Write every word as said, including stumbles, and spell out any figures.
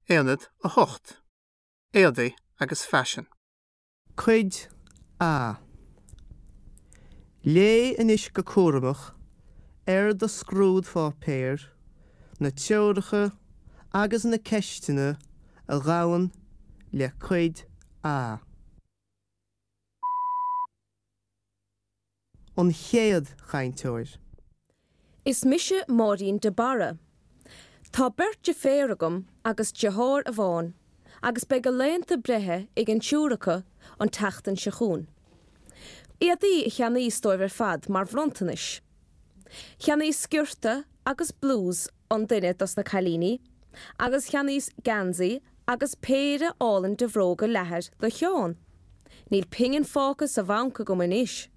Aonad a hocht. Éadaí agus Faisean. Cuid A. Léigh anois go cúramach ar do scrúdpháipéar na treoracha agus na ceisteanna a ghabhann le Cuid A. An chéad chainteoir. Is mise Máirín de Barra. Tá beirt deirféar agam agus deartháir amháin, agus beidh a laethanta breithe ag an triúr acu an tseachtain seo chugainn. Éadaí a cheannaíos dóibh ar fad mar bhronntanais. Cheannaíos sciorta agus blús an duine dos na cailíní, agus cheannaíos geansaí agus péire álainn de bhróga leathair do Sheán. Níl pingin fágtha sa bhanc agam anois.